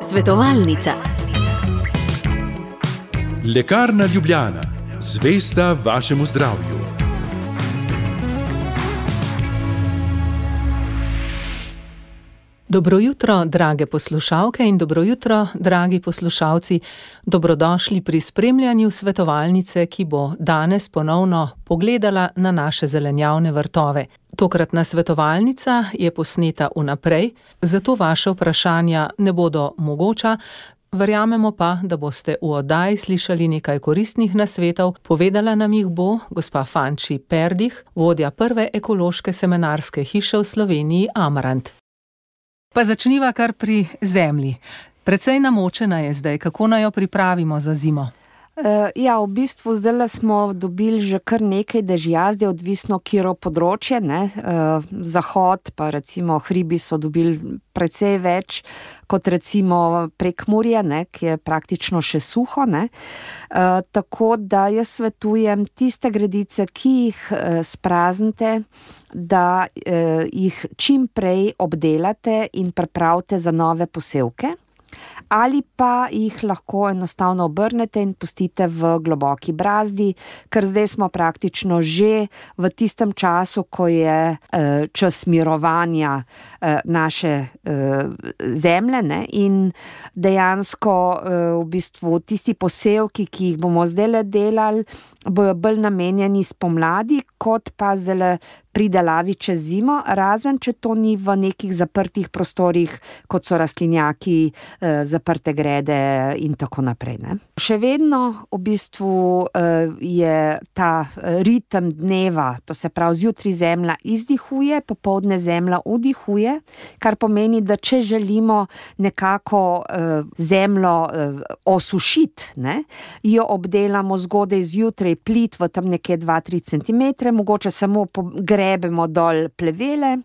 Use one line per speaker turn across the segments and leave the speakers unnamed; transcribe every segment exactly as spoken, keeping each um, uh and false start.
Svetovalnica.
Lekarna Ljubljana, zvesta vašemu zdravju.
Dobro jutro, drage poslušalke in dobro jutro, dragi poslušalci. Dobrodošli pri spremljanju svetovalnice, ki bo danes ponovno pogledala na naše zelenjavne vrtove. Tokratna svetovalnica je posneta vnaprej, zato vaše vprašanja ne bodo mogoča. Verjamemo pa, da boste v oddaji slišali nekaj koristnih nasvetov. Povedala nam jih bo gospa Fanči Perdih, vodja prve ekološke semenarske hiše v Sloveniji Amarant. Pa začniva kar pri zemlji. Precej namočena je zdaj, kako naj jo pripravimo za zimo?
Uh, ja, v bistvu zdaj smo dobili že kar nekaj dežja, zdaj odvisno, kjero področje, ne. Uh, zahod, pa recimo hribi so dobili precej več kot recimo Prekmurje, ne, ki je praktično še suho, ne. Uh, tako da jaz svetujem tiste gredice, ki jih uh, spraznite, da uh, jih čim prej obdelate in pripravite za nove posevke. Ali pa jih lahko enostavno obrnete in pustite v globoki brazdi, ker zdaj smo praktično že v tistem času, ko je eh, čas mirovanja eh, naše eh, zemlje, ne? In dejansko eh, v bistvu tisti posevki, ki jih bomo zdaj delali, bojo bolj namenjeni spomladi, kot pa zdaj pridelavi čez zimo, razen če to ni v nekih zaprtih prostorih, kot so rastlinjaki, eh, zaprte grede in tako naprej, ne. Še vedno v bistvu eh, je ta ritem dneva, to se pravi zjutraj zemlja izdihuje, popoldne zemlja vdihuje, kar pomeni, da če želimo nekako eh, zemljo eh, osušiti, ne, jo obdelamo zgodaj zjutraj plit v tam nekje dva do tri centimetre, mogoče samo pogrebemo dol plevele,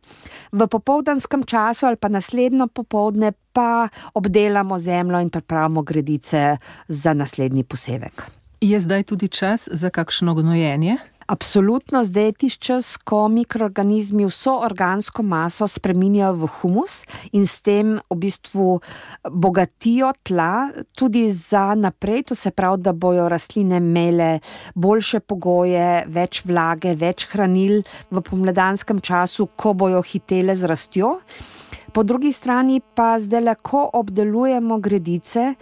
v popoldanskem času ali pa naslednjo popoldne pa obdelamo zemljo in pripravimo gredice za naslednji posevek.
Je zdaj tudi čas za kakšno gnojenje?
Absolutno, zdaj je tisti čas, ko mikroorganizmi vso organsko maso spreminjajo v humus in s tem v bistvu bogatijo tla tudi za naprej, to se pravi, da bojo rastline imele boljše pogoje, več vlage, več hranil v pomladanskem času, ko bojo hitele z rastjo. Po drugi strani pa zdaj, ko obdelujemo gredice,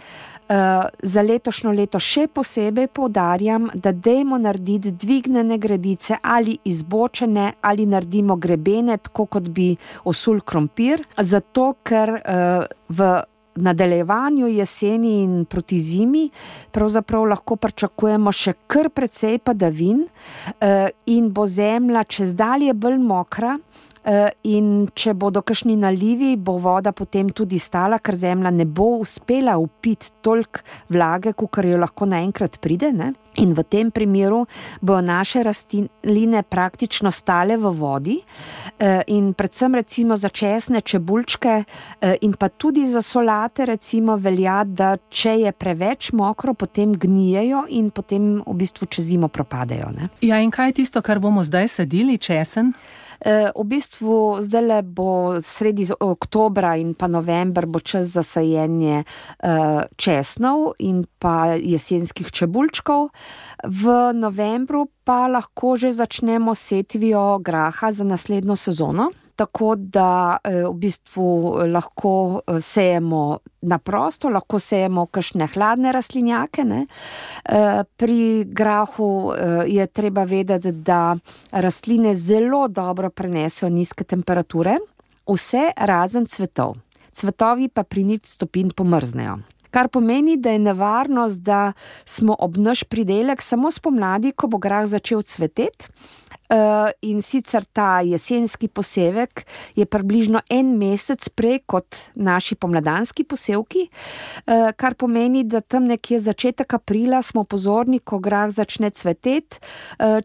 Uh, za letošnjo leto še posebej poudarjam, da dajmo narediti dvignjene gredice ali izbočene ali naredimo grebene, tako kot bi osul krompir, zato ker uh, v nadaljevanju jeseni in proti zimi pravzaprav lahko pričakujemo še kar precej padavin uh, in bo zemlja čezdalje bolj mokra. In če bodo kakšni nalivi, bo voda potem tudi stala, ker zemlja ne bo uspela vpiti toliko vlage, kakor jo lahko naenkrat pride, ne? In v tem primeru bojo naše rastline praktično stale v vodi in predvsem recimo za česne, čebulčke in pa tudi za solate recimo velja, da če je preveč mokro, potem gnijejo in potem v bistvu čez zimo propadejo, ne?
Ja, in kaj je tisto, kar bomo zdaj sadili, česen?
V bistvu zdajle bo sredi oktobra in pa november bo čas za sajenje česnov in pa jesenskih čebulčkov. V novembru pa lahko že začnemo setvijo graha za naslednjo sezono. Tako da v bistvu lahko sejemo na prosto, lahko sejemo kakšne hladne rastlinjake, ne. Pri grahu je treba vedeti, da rastline zelo dobro prenesejo nizke temperature, vse razen cvetov. Cvetovi pa pri nič stopinj pomrznejo. Kar pomeni, da je nevarnost, da smo ob naš pridelek samo spomladi, ko bo grah začel cveteti. In sicer ta jesenski posevek je približno en mesec prej kot naši pomladanski posevki, kar pomeni, da tam nekje začetek aprila smo pozorni, ko grah začne cveteti,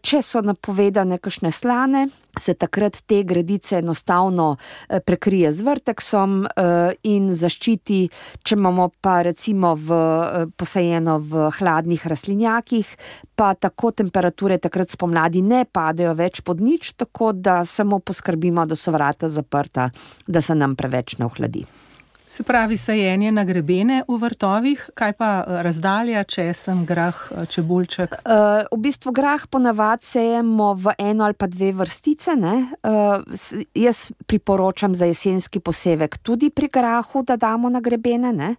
če so napovedane kakšne slane, se takrat te gredice enostavno prekrije z vrteksom in zaščiti, če imamo pa recimo v, posajeno v hladnih rastlinjakih, pa tako temperature takrat spomladi ne padejo več pod nič, tako da samo poskrbimo, da so vrata zaprta, da se nam preveč ne ohladi.
Se pravi, sajenje na grebene v vrtovih, kaj pa razdalja, česen, grah, čebulček?
Uh, v bistvu grah ponavad sejemo v eno ali pa dve vrstice, ne. Uh, jaz priporočam za jesenski posevek tudi pri grahu, da damo na grebene, ne.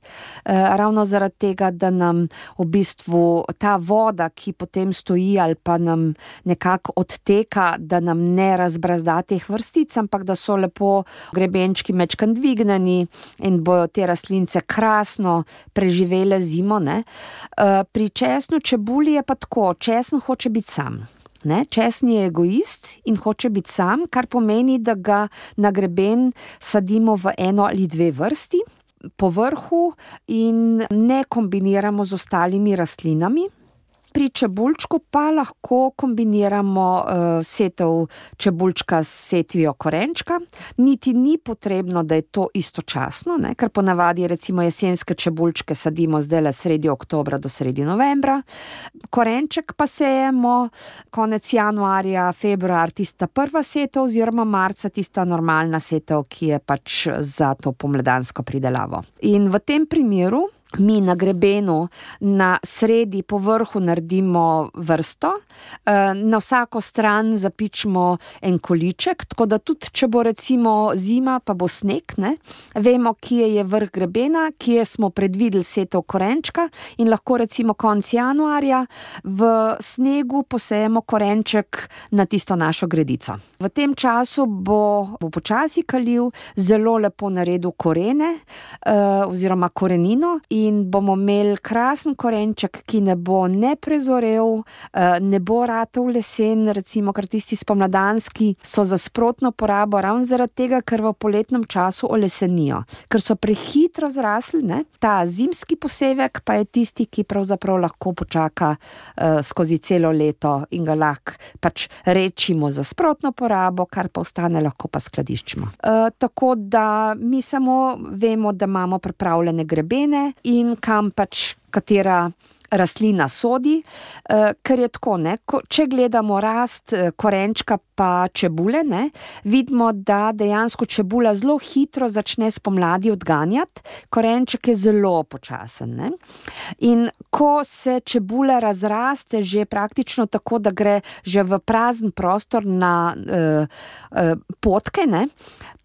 Uh, ravno zaradi tega, da nam v bistvu ta voda, ki potem stoji ali pa nam nekako odteka, da nam ne razbrazda teh vrstic, ampak da so lepo grebenčki mečkan dvigneni in bojo te rastlince krasno preživele zimo, ne. Pri česnu čebuli je pa tako, česen hoče biti sam. Ne, česen je egoist in hoče biti sam, kar pomeni, da ga na greben sadimo v eno ali dve vrsti po vrhu in ne kombiniramo z ostalimi rastlinami. Pri čebulčku pa lahko kombiniramo uh, setev čebulčka s setvijo korenčka. Niti ni potrebno, da je to istočasno, ne? Ker ponavadi recimo jesenske čebulčke sadimo zdajle sredi oktobra do sredi novembra. Korenček pa sejemo konec januarja, februar, tista prva setev, oziroma marca tista normalna setev, ki je pač za to pomladansko pridelavo. In v tem primeru mi na grebenu na sredi po vrhu naredimo vrsto, na vsako stran zapičimo en količek, tako da tudi, če bo recimo zima, pa bo sneg, ne, vemo, kje je vrh grebena, kje smo predvideli setev korenčka in lahko recimo konec januarja v snegu posejemo korenček na tisto našo gredico. V tem času bo, bo počasi kalil, zelo lepo naredil korene oziroma korenino in bomo imeli krasen korenček, ki ne bo ne prezorel, ne bo ratal lesen, recimo, ker tisti spomladanski so za sprotno porabo, ravno zaradi tega, ker v poletnem času olesenijo. Ker so prehitro zrasli, ne? Ta zimski posevek pa je tisti, ki pravzaprav lahko počaka uh, skozi celo leto in ga lahko pač rečimo za sprotno porabo, kar pa ostane, lahko pa skladiščimo. Uh, tako da mi samo vemo, da imamo pripravljene grebene in kam pač katera rastlina sodi, ker je tako, ne, če gledamo rast korenčka pa čebule, ne, vidimo, da dejansko čebula zelo hitro začne spomladi odganjati, korenček je zelo počasen, ne. In ko se čebula razraste že praktično tako, da gre že v prazen prostor na eh, eh, potke, ne,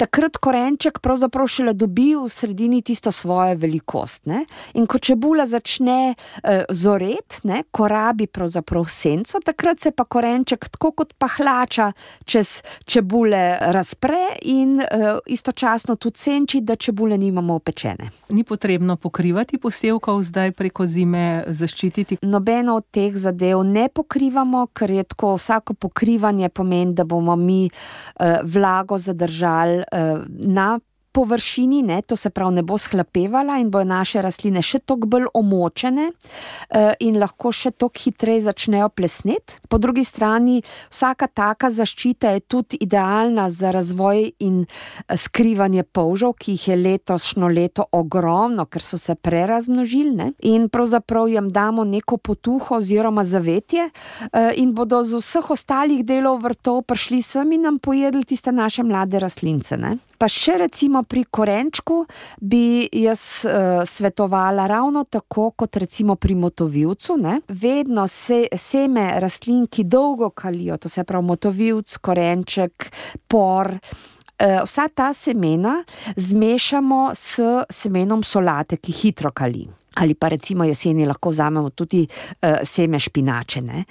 takrat korenček pravzaprav šele dobi v sredini tisto svojo velikost, ne. In ko čebula začne eh, zoret, ne, ko rabi pravzaprav senco, takrat se pa korenček tako kot pahlača čez čebule razpre in uh, istočasno tudi senči, da čebule nimamo opečene.
Ni potrebno pokrivati posevkov zdaj preko zime, zaščititi?
Nobeno od teh zadev ne pokrivamo, ker je tako, vsako pokrivanje pomeni, da bomo mi uh, vlago zadržali uh, na površini, ne, to se pravi ne bo shlapevala in bojo naše rastline še toliko bolj omočene uh, in lahko še toliko hitreje začnejo plesneti. Po drugi strani, vsaka taka zaščita je tudi idealna za razvoj in skrivanje polžev, ki jih je letošnjo leto ogromno, ker so se prerazmnožili, ne, in pravzaprav jim damo neko potuho oziroma zavetje uh, in bodo z vseh ostalih delov vrtov prišli sem in nam pojedli tiste naše mlade rastlince, ne. Pa še recimo pri korenčku bi jaz uh, svetovala ravno tako kot recimo pri motovilcu, ne. Vedno se, seme rastlin, ki dolgo kalijo, to se pravi motovilc, korenček, por, uh, vsa ta semena zmešamo s semenom solate, ki hitro kali. Ali pa recimo jeseni lahko vzamemo tudi uh, seme špinače, ne.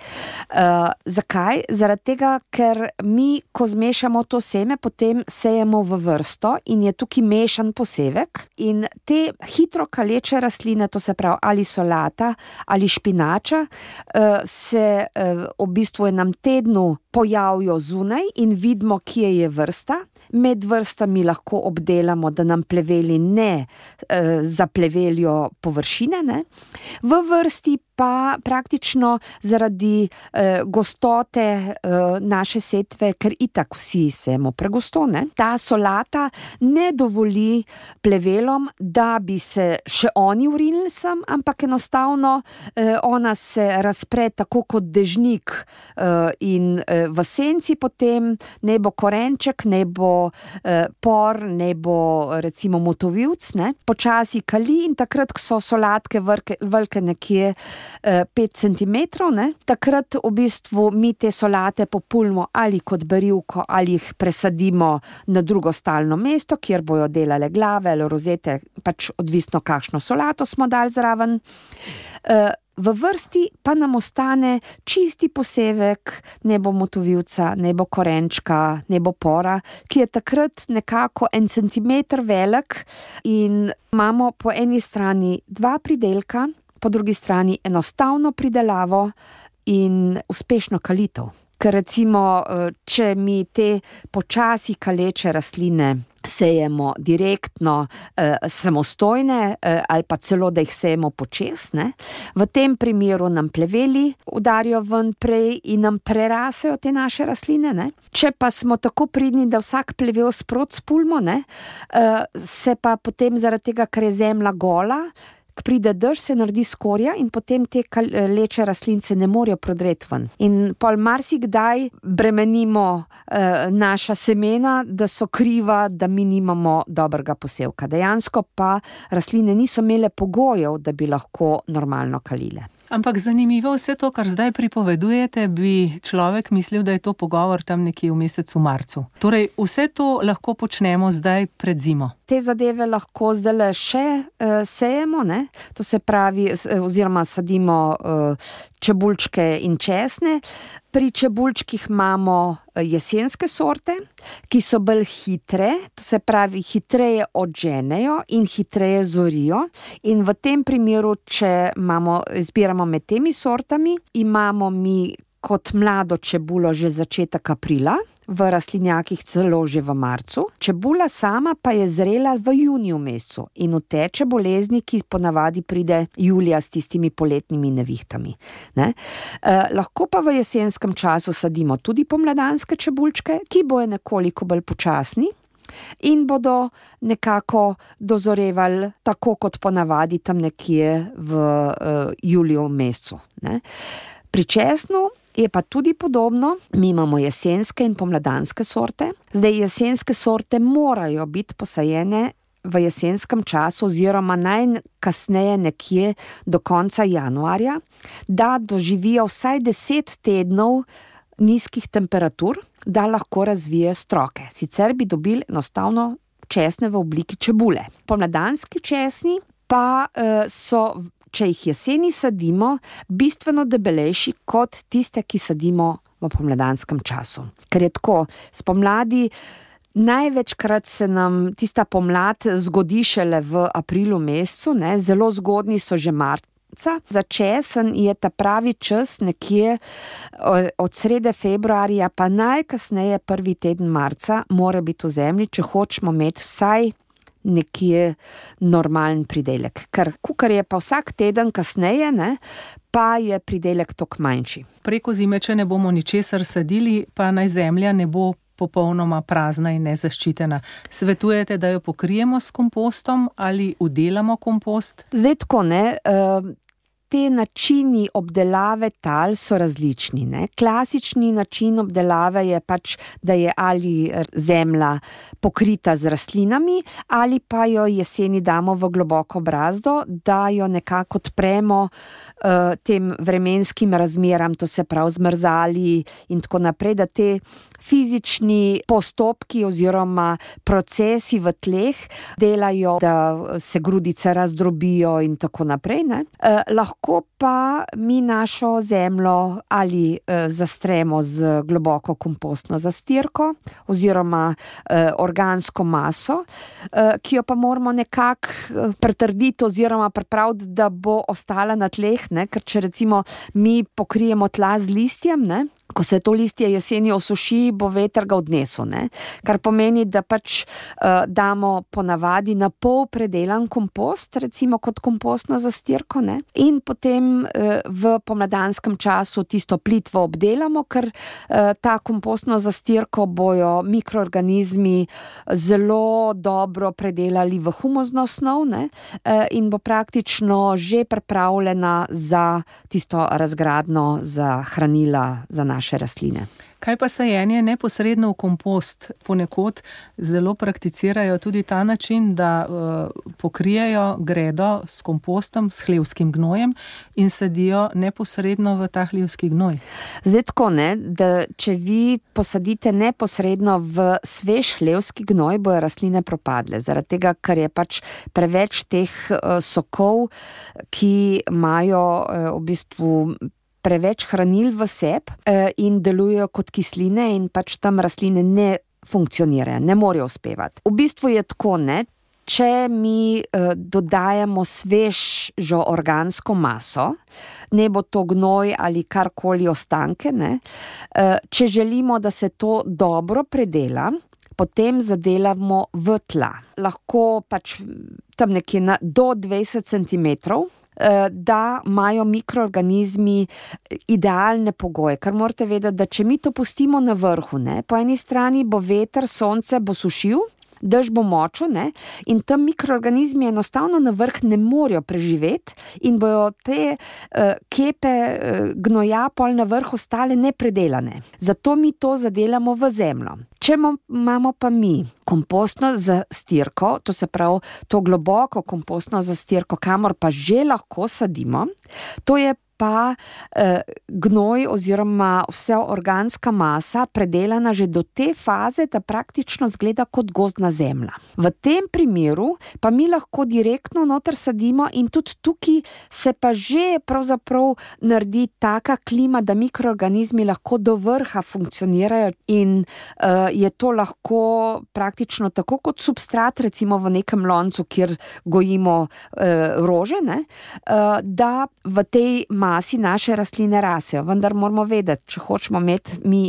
Uh, zakaj? Zaradi tega, ker mi, ko zmešamo to seme, potem sejemo v vrsto in je tukaj mešan posevek in te hitro kaleče rastline, to se pravi ali solata ali špinača, uh, se uh, v bistvu enem tednu pojavijo zunaj in vidimo, kje je vrsta. Med vrstami lahko obdelamo, da nam pleveli ne e, zaplevelijo površine, ne. V vrsti pa praktično zaradi e, gostote e, naše setve, ker itak vsi sejemo pregosto, ne, ta solata ne dovoli plevelom, da bi se še oni urinili sem, ampak enostavno e, ona se razpre tako kot dežnik e, in e, v senci potem ne bo korenček, ne bo bo uh, por, ne bo recimo motovilc, ne, počasi kali in takrat, ko so solatke vrke, velike nekje uh, pet centimetrov, ne, takrat v bistvu mi te solate populimo ali kot berivko ali jih presadimo na drugo stalno mesto, kjer bojo delale glave ali rozete, pač odvisno kakšno solato smo dali zraven. Uh, V vrsti pa nam ostane čisti posevek, ne bo motovilca, ne bo korenčka, ne bo pora, ki je takrat nekako en centimeter velik in imamo po eni strani dva pridelka, po drugi strani enostavno pridelavo in uspešno kalitev. Ker recimo, če mi te počasi kaleče rastline sejemo direktno, eh, samostojne eh, ali pa celo, da jih sejemo počesne, v tem primeru nam pleveli udarijo ven prej in nam prerasejo te naše rastline. Ne? Če pa smo tako pridni, da vsak plevel sprot spulmo, ne, eh, se pa potem zaradi tega, ker je zemlja gola, pride dež, se naredi skorja in potem te leče rastlince ne morejo prodreti ven. In pol marsikdaj bremenimo eh, naša semena, da so kriva, da mi nimamo dobrega posevka. Dejansko pa rastline niso imele pogojev, da bi lahko normalno kalile.
Ampak zanimivo vse to, kar zdaj pripovedujete, bi človek mislil, da je to pogovor tam nekje v mesecu marcu. Torej, vse to lahko počnemo zdaj pred zimo.
Te zadeve lahko zdaj še uh, sejemo, ne? To se pravi, oziroma sadimo uh, čebulčke in česne. Pri čebulčkih imamo jesenske sorte, ki so bolj hitre, to se pravi, hitreje odženejo in hitreje zorijo. In v tem primeru, če imamo, izbiramo med temi sortami, imamo mi kot mlado čebulo že začetek aprila, v rastlinjakih celo že v marcu. Čebula sama pa je zrela v juniju mesecu in uteče bolezni, ki ponavadi pride julija s tistimi poletnimi nevihtami. Ne? Eh, lahko pa v jesenskem času sadimo tudi pomladanske čebulčke, ki bojo nekoliko bolj počasni in bodo nekako dozorevali tako kot ponavadi tam nekje v uh, juliju mesecu. Ne? Pri česnu je pa tudi podobno, mi imamo jesenske in pomladanske sorte. Zdaj, jesenske sorte morajo biti posajene v jesenskem času oziroma najkasneje nekje do konca januarja, da doživijo vsaj deset tednov nizkih temperatur, da lahko razvijejo stroke. Sicer bi dobili enostavno česne v obliki čebule. Pomladanski česni pa uh, so, če jih jeseni sadimo, bistveno debelejši kot tiste, ki sadimo v pomladanskem času. Ker je tako, spomladi največkrat se nam tista pomlad zgodi šele v aprilu mesecu, ne, zelo zgodni so že marca. Za česen je ta pravi čas nekje od srede februarja pa najkasneje prvi teden marca mora biti v zemlji, če hočemo imeti vsaj nekje normalen pridelek. Ker kukar je pa vsak teden kasneje, ne, pa je pridelek toliko manjši.
Preko zime, če ne bomo ničesar sadili, pa naj zemlja ne bo popolnoma prazna in nezaščitena. Svetujete, da jo pokrijemo s kompostom ali udelamo kompost?
Zdaj tako, ne, uh, te načini obdelave tal so različni, ne. Klasični način obdelave je pač, da je ali zemlja pokrita z rastlinami ali pa jo jeseni damo v globoko brazdo, da jo nekako odpremo uh, tem vremenskim razmeram, to se pravi zmrzali in tako naprej, da te fizični postopki oziroma procesi v tleh delajo, da se grudice razdrobijo in tako naprej. Ne? Eh, lahko pa mi našo zemljo ali eh, zastremo z globoko kompostno zastirko oziroma eh, organsko maso, eh, ki jo pa moramo nekako pretrditi oziroma pripraviti, da bo ostala na tleh, ne? Ker če recimo mi pokrijemo tla z listjem, ne? Ko se to listje jeseni osuši, bo veter ga odnesel, ne? Kar pomeni, da pač uh, damo ponavadi na pol predelan kompost, recimo kot kompostno zastirko, ne? In potem uh, v pomladanskem času tisto plitvo obdelamo, ker uh, ta kompostno zastirko bojo mikroorganizmi zelo dobro predelali v humozno snov, ne? Uh, in bo praktično že pripravljena za tisto razgradno, za hranila za naše rastline.
Kaj pa sajenje neposredno v kompost? Ponekod zelo prakticirajo tudi ta način, da uh, pokrijejo gredo s kompostom, s hlevskim gnojem in sadijo neposredno v ta hlevski gnoj.
Zdaj tako, ne, da če vi posadite neposredno v svež hlevski gnoj, bojo rastline propadle, zaradi tega, ker je pač preveč teh uh, sokov, ki imajo uh, v bistvu preveč hranil v sebi in delujejo kot kisline in pač tam rastline ne funkcionirajo, ne morejo uspevati. V bistvu je tako, ne, če mi eh, dodajamo svežo organsko maso, ne bo to gnoj ali karkoli ostanke, ne, eh, če želimo, da se to dobro predela, potem zadelamo v tla. Lahko pač tam nekje na, do dvajset centimetrov, da imajo mikroorganizmi idealne pogoje, ker morate vedeti, da če mi to pustimo na vrhu, ne, po eni strani bo veter, sonce bo sušil, dež bo močil, ne, in tam mikroorganizmi enostavno na vrh ne morejo preživeti in bojo te uh, kepe uh, gnoja pol na vrhu ostale nepredelane. Zato mi to zadelamo v zemljo. Če imamo pa mi kompostno zastirko, to se pravi to globoko kompostno zastirko, kamor pa že lahko sadimo, to je pa eh, gnoj oziroma vsa organska masa predelana že do te faze, da praktično zgleda kot gozdna zemlja. V tem primeru pa mi lahko direktno noter sadimo in tudi tukaj se pa že pravzaprav naredi taka klima, da mikroorganizmi lahko do vrha funkcionirajo in eh, je to lahko praktično tako kot substrat, recimo v nekem loncu, kjer gojimo eh, rože, ne, eh, da v tej masi naše rastline rasejo, vendar moramo vedeti, če hočemo imeti mi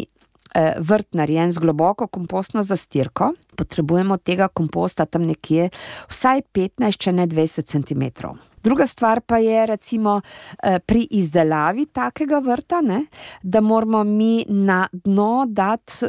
eh, vrt narejen z globoko kompostno zastirko, potrebujemo tega komposta tam nekje vsaj petnajst, če ne dvajset centimetrov. Druga stvar pa je recimo eh, pri izdelavi takega vrta, ne, da moramo mi na dno dati eh,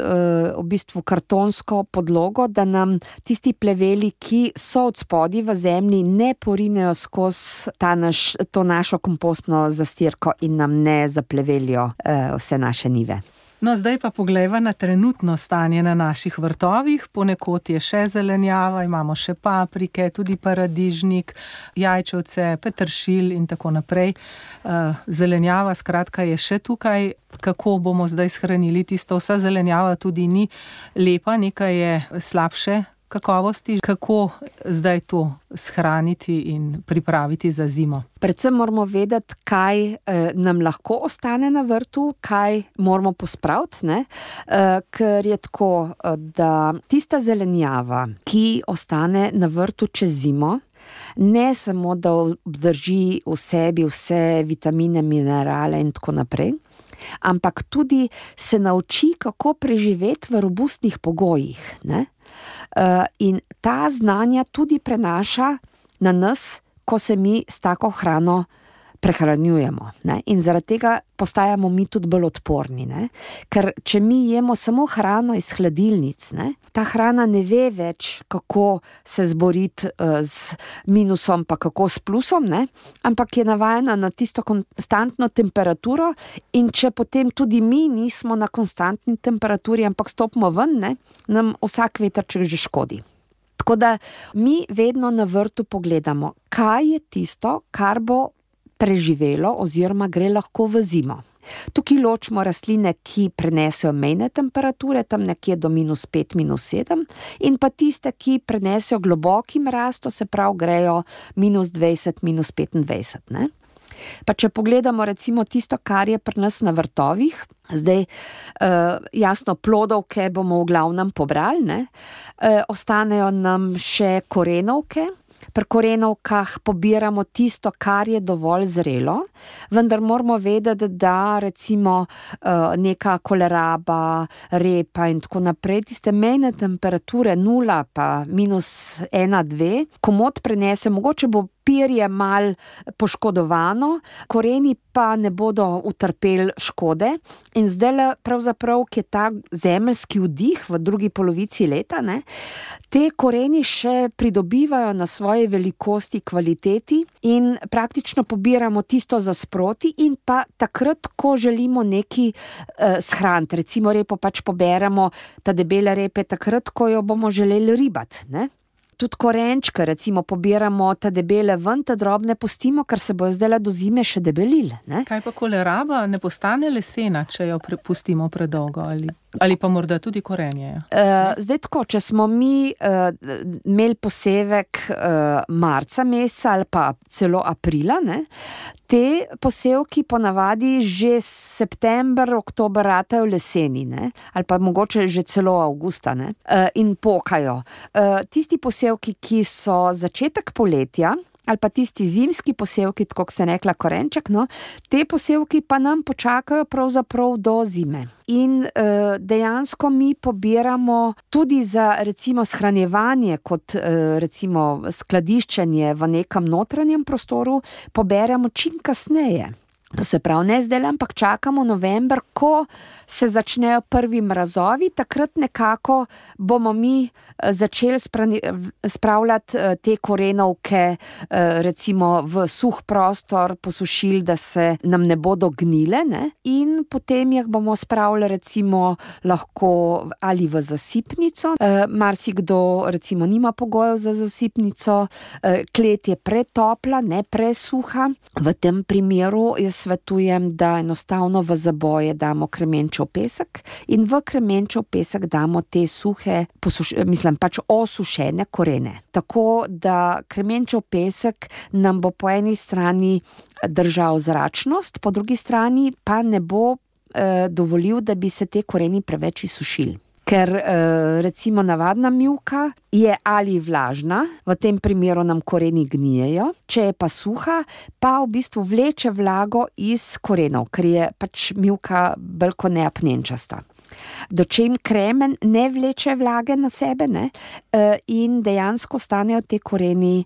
v bistvu kartonsko podlogo, da nam tisti pleveli, ki so od spodaj v zemlji, ne porinejo skozi ta naš, to našo kompostno zastirko in nam ne zaplevelijo eh, vse naše njive.
No, zdaj pa poglejva na trenutno stanje na naših vrtovih. Ponekod je še zelenjava, imamo še paprike, tudi paradižnik, jajčevce, peteršilj in tako naprej. Zelenjava skratka je še tukaj. Kako bomo zdaj shranili tisto? Vsa zelenjava tudi ni lepa, nekaj je slabše kakovosti. Kako zdaj to shraniti in pripraviti za zimo?
Predvsem moramo vedeti, kaj eh, nam lahko ostane na vrtu, kaj moramo pospraviti, ne? Eh, ker je tako, da tista zelenjava, ki ostane na vrtu čez zimo, ne samo, da obdrži v sebi vse vitamine, minerale in tako naprej, ampak tudi se nauči, kako preživeti v robustnih pogojih, ne? Uh, in ta znanja tudi prenaša na nas, ko se mi s tako hrano prehranjujemo, ne? In zaradi tega postajamo mi tudi bolj odporni, ne? Ker če mi jemo samo hrano iz hladilnic, ne? Ta hrana ne ve več, kako se zboriti uh, z minusom, pa kako s plusom, ne? Ampak je navajena na tisto konstantno temperaturo in če potem tudi mi nismo na konstantni temperaturi, ampak stopimo ven, ne? Nam vsak vetrček že škodi. Tako da mi vedno na vrtu pogledamo, kaj je tisto, kar bo preživelo oziroma gre lahko v zimo. Tukaj ločimo rastline, ki prenesejo mejne temperature, tam nekje do minus pet, minus sedem, in pa tiste, ki prenesejo globoki mraz, to se pravi grejo minus dvajset, minus petindvajset, ne? Pa če pogledamo recimo tisto, kar je pri nas na vrtovih, zdaj uh, jasno plodovke bomo v glavnem pobrali, ne? Uh, ostanejo nam še korenovke. Pri korenovkah pobiramo tisto, kar je dovolj zrelo, vendar moramo vedeti, da recimo neka koleraba, repa in tako naprej, tiste mejne temperature nula pa minus ena, dve, komot prenesejo, mogoče bo perje mal poškodovano, koreni pa ne bodo utrpeli škode. In zdaj pravzaprav, ki je ta zemeljski vdih v drugi polovici leta, ne, te koreni še pridobivajo na svoje velikosti, kvaliteti in praktično pobiramo tisto za sproti in pa takrat, ko želimo neki eh, shraniti. Recimo repo pač poberemo, ta debele repe, takrat, ko jo bomo želeli ribati, ne. Tudi korenčke, recimo, pobiramo ta debele ven, ta drobne pustimo, ker se bojo zdaj do zime še debelile, ne.
Kaj pa koleraba, ne postane lesena, če jo pustimo predolgo ali, ali pa morda tudi korenje?
Uh, zdaj tako, če smo mi uh, imeli posevek uh, marca meseca ali pa celo aprila, ne, te posevki ponavadi že september, oktober ratajo leseni, ne, ali pa mogoče že celo avgusta, ne, uh, in pokajo. Uh, tisti posevki, ki so začetek poletja, ali pa tisti zimski posevki, tako se rekla korenček, no, te posevki pa nam počakajo pravzaprav do zime. In uh, dejansko mi pobiramo tudi za recimo shranjevanje, kot uh, recimo skladiščenje v nekem notranjem prostoru, poberemo čim kasneje. To se pravi, ne zdaj, ampak čakamo november, ko se začnejo prvi mrazovi, takrat nekako bomo mi začeli spravljati te korenovke recimo v suh prostor, posušili, da se nam ne bodo gnile, ne? In potem jih bomo spravili recimo lahko ali v zasipnico, marsikdo recimo nima pogojev za zasipnico, klet je pretopla, ne presuha, v tem primeru jaz svetujem, da enostavno v zaboje damo kremenčev pesek in v kremenčev pesek damo te suhe, posuš, mislim pač osušene korene. Tako da kremenčev pesek nam bo po eni strani držal zračnost, po drugi strani pa ne bo eh, dovolil, da bi se te koreni preveč izsušili. Ker recimo navadna mivka je ali vlažna, v tem primeru nam koreni gnijejo, če je pa suha, pa v bistvu vleče vlago iz korenov, ker je pač mivka bolj kot ne apnenčasta. Dočim kremen ne vleče vlage na sebe, ne, in dejansko stanejo te koreni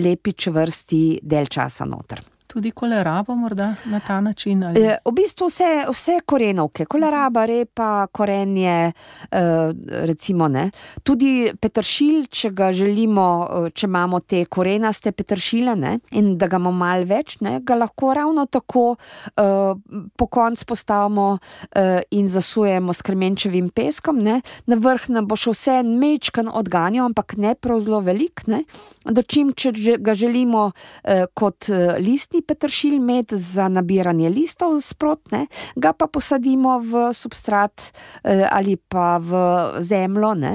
lepi čvrsti del časa noter.
Tudi kolerabo morda na ta način? Ali?
V bistvu vse, vse korenovke, koleraba, repa, korenje, recimo ne. Tudi peteršilj, če ga želimo, če imamo te korenaste peteršile, ne, in da ga imamo malo več, ne, ga lahko ravno tako po konc postavimo in zasujemo s kremenčevim peskom, ne. Na vrh nam bo še vse mečkan odganjal, ampak ne prav zelo velik, ne. Dočim, če ga želimo kot listni peteršilj imeti za nabiranje listov sprotne, ga pa posadimo v substrat ali pa v zemljo, ne,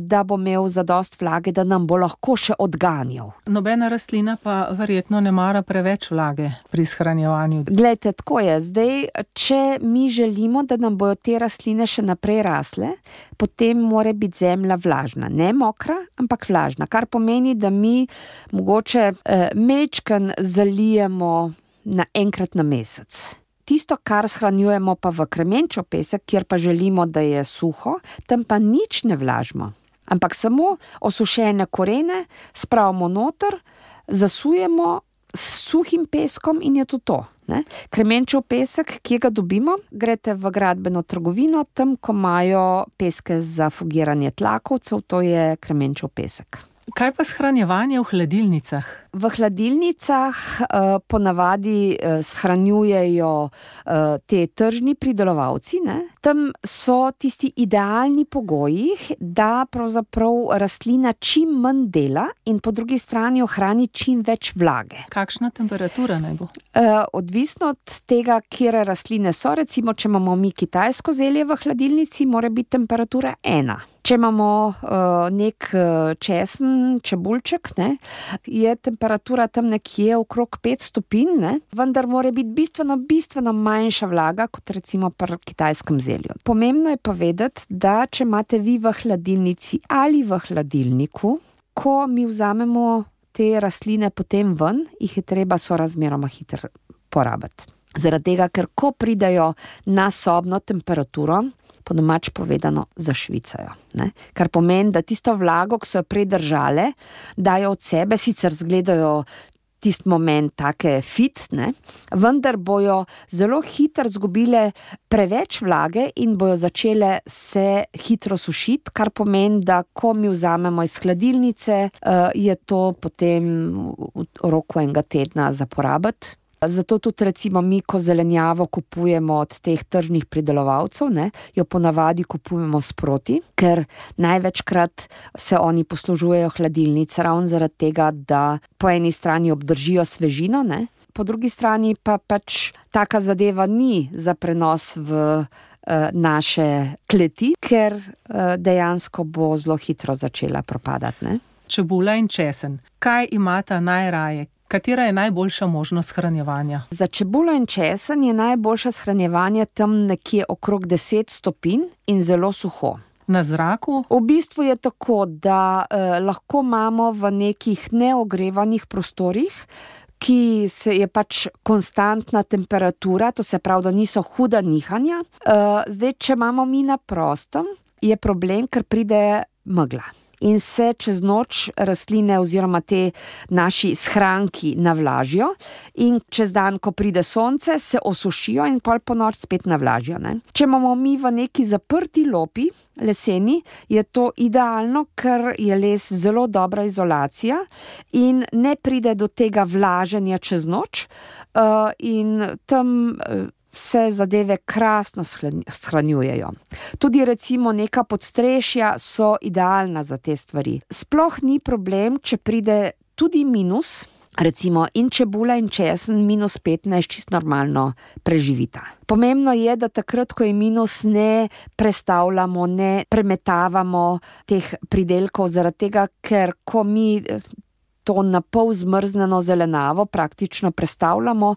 da bo imel zadost vlage, da nam bo lahko še odganjal.
Nobena rastlina pa verjetno ne mara preveč vlage pri shranjevanju.
Glejte, tako je. Zdaj, če mi želimo, da nam bojo te rastline še naprej rasle, potem mora biti zemlja vlažna. Ne mokra, ampak vlažna, kar pomeni, da mi mogoče eh, mečken zalijemo na enkrat na mesec. Tisto, kar shranjujemo pa v kremenčev pesek, kjer pa želimo, da je suho, tam pa nič ne vlažimo. Ampak samo osušene korene spravimo noter, zasujemo s suhim peskom in je to to. Ne? Kremenčev pesek, kje ga dobimo? Greste v gradbeno trgovino, tam, ko imajo peske za fugiranje tlakovcev, to je kremenčev pesek.
Kaj pa shranjevanje v hladilnicah?
V hladilnicah uh, ponavadi uh, shranjujejo uh, te tržni pridelovalci, ne? Tam so tisti idealni pogoji, da pravzaprav rastlina čim manj dela in po drugi strani ohrani čim več vlage.
Kakšna temperatura naj bo?
Uh, odvisno od tega, kjere rastline so, recimo, če imamo mi kitajsko zelje v hladilnici, mora biti temperatura ena. Če imamo uh, nek uh, česen, čebulček, ne, je temperatura tam nekje okrog pet stopinj, ne, vendar mora biti bistveno, bistveno manjša vlaga, kot recimo pri kitajskem zelju. Pomembno je povedati, da če imate vi v hladilnici ali v hladilniku, ko mi vzamemo te rastline potem ven, jih je treba sorazmeroma hitro porabiti. Zaradi tega, ker ko pridajo na sobno temperaturo, po domač povedano zašvicajo. Ne? Kar pomeni, da tisto vlago, ki so jo predržale, dajo od sebe, sicer zgledajo tisti moment take fit, ne? Vendar bojo zelo hitro zgubile preveč vlage in bojo začele se hitro sušiti, kar pomeni, da ko mi vzamemo iz hladilnice, je to potem v roku enega tedna za porabiti. Zato tudi recimo mi, ko zelenjavo kupujemo od teh tržnih pridelovalcev, ne, jo ponavadi kupujemo sproti, ker največkrat se oni poslužujejo hladilnic ravno zaradi tega, da po eni strani obdržijo svežino, ne, po drugi strani pa pač taka zadeva ni za prenos v uh, naše kleti, ker uh, dejansko bo zelo hitro začela propadati. Ne.
Čebula in česen. Kaj imata najraje? Katera je najboljša možnost shranjevanja?
Za čebulo in česen je najboljša shranjevanje tam nekje okrog deset stopinj in zelo suho.
Na zraku?
V bistvu je tako, da eh, lahko imamo v nekih neogrevanih prostorih, ki se je pač konstantna temperatura, to se pravi, da niso huda nihanja. Eh, zdaj, če imamo mi na prostem, je problem, ker pride megla. In se čez noč rastline oziroma te naši shranki navlažijo in čez dan, ko pride sonce, se osušijo in pol po noč spet navlažijo. Ne? Če imamo mi v neki zaprti lopi, leseni, je to idealno, ker je les zelo dobra izolacija in ne pride do tega vlaženja čez noč uh, in tam uh, se zadeve krasno shranjujejo. Tudi recimo neka podstrešja so idealna za te stvari. Sploh ni problem, če pride tudi minus, recimo in čebula in česen minus petnajst čist normalno preživita. Pomembno je, da takrat, ko je minus, ne prestavljamo, ne premetavamo teh pridelkov, zaradi tega, ker ko mi to na pol zmrznjeno zelenavo praktično prestavljamo,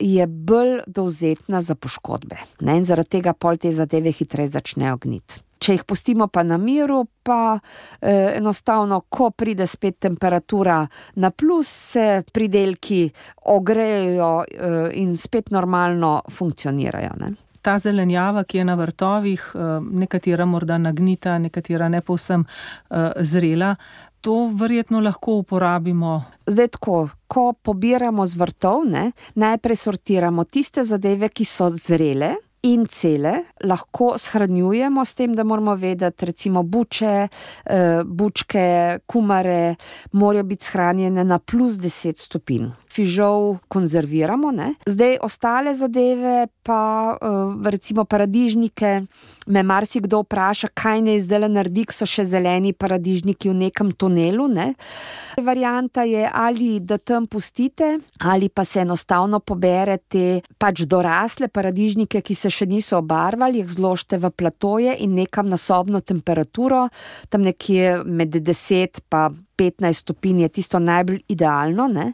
je bolj dovzetna za poškodbe. Ne? In zaradi tega pol te zadeve hitreje začnejo gniti. Če jih pustimo pa na miru, pa eh, enostavno, ko pride spet temperatura na plus, se pridelki ogrejejo eh, in spet normalno funkcionirajo. Ne?
Ta zelenjava, ki je na vrtovih, nekatera morda nagnita, nekatera ne povsem uh, zrela, to verjetno lahko uporabimo.
Zdaj tako, ko pobiramo z vrtov, ne, najprej sortiramo tiste zadeve, ki so zrele in cele, lahko shranjujemo s tem, da moramo vedeti, recimo buče, uh, bučke, kumare, morajo biti shranjene na plus deset stopinj. Fižol konzerviramo, ne. Zdaj ostale zadeve pa, recimo paradižnike, me marsikdo vpraša, kaj ne zdaj naredi, ko so še zeleni paradižniki v nekem tunelu, ne. Varianta je, ali da tam pustite, ali pa se enostavno poberete pač dorasle paradižnike, ki se še niso obarvali, jih zložite v platoje in nekam na sobno temperaturo, tam nekje med deset pa petnajst stopinj je tisto najbolj idealno, ne,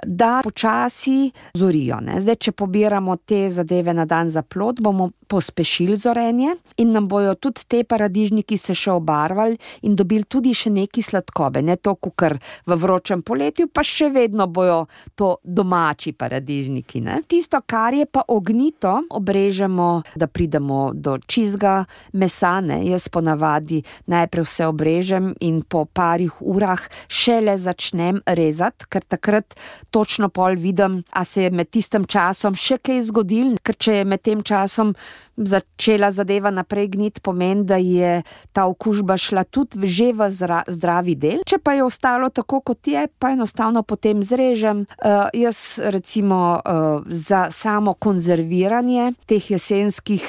da počasi zorijo. Ne. Zdaj, če pobiramo te zadeve na dan za plod, bomo pospešili zorenje in nam bojo tudi te paradižniki se še obarvali in dobili tudi še neki sladkobe. Ne to, kukor v vročem poletju, pa še vedno bojo to domači paradižniki. Ne. Tisto, kar je pa ognito, obrežemo, da pridemo do čizga mesa. Ne. Jaz ponavadi najprej vse obrežem in po parih urah šele začnem rezati, ker takrat točno pol vidim, a se je med tistim časom še kaj zgodil, ker če je med tem časom začela zadeva naprej gniti, pomeni, da je ta okužba šla tudi že v zdravi del. Če pa je ostalo tako, kot je, pa enostavno potem zrežem. Uh, jaz recimo uh, za samo konzerviranje teh jesenskih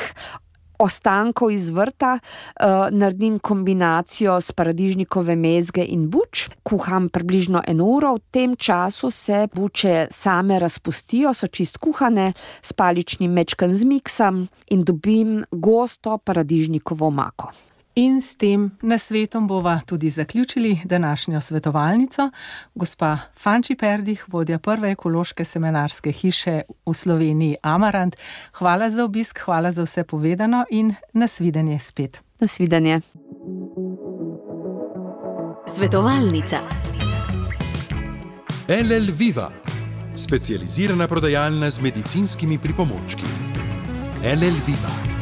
ostankov iz vrta, uh, naredim kombinacijo s paradižnikove mezge in buč, kuham približno eno uro, v tem času se buče same razpustijo, so čist kuhane, s paličnim mečkem zmiksam in dobim gosto paradižnikovo omako.
In s tem nasvetom bova tudi zaključili današnjo svetovalnico. Gospa Fanči Perdih, vodja prve ekološke semenarske hiše v Sloveniji Amarant. Hvala za obisk, hvala za vse povedano in nasvidenje spet.
Nasvidenje.
Svetovalnica.
L L Viva, specializirana prodajalna z medicinskimi pripomočki. L L Viva.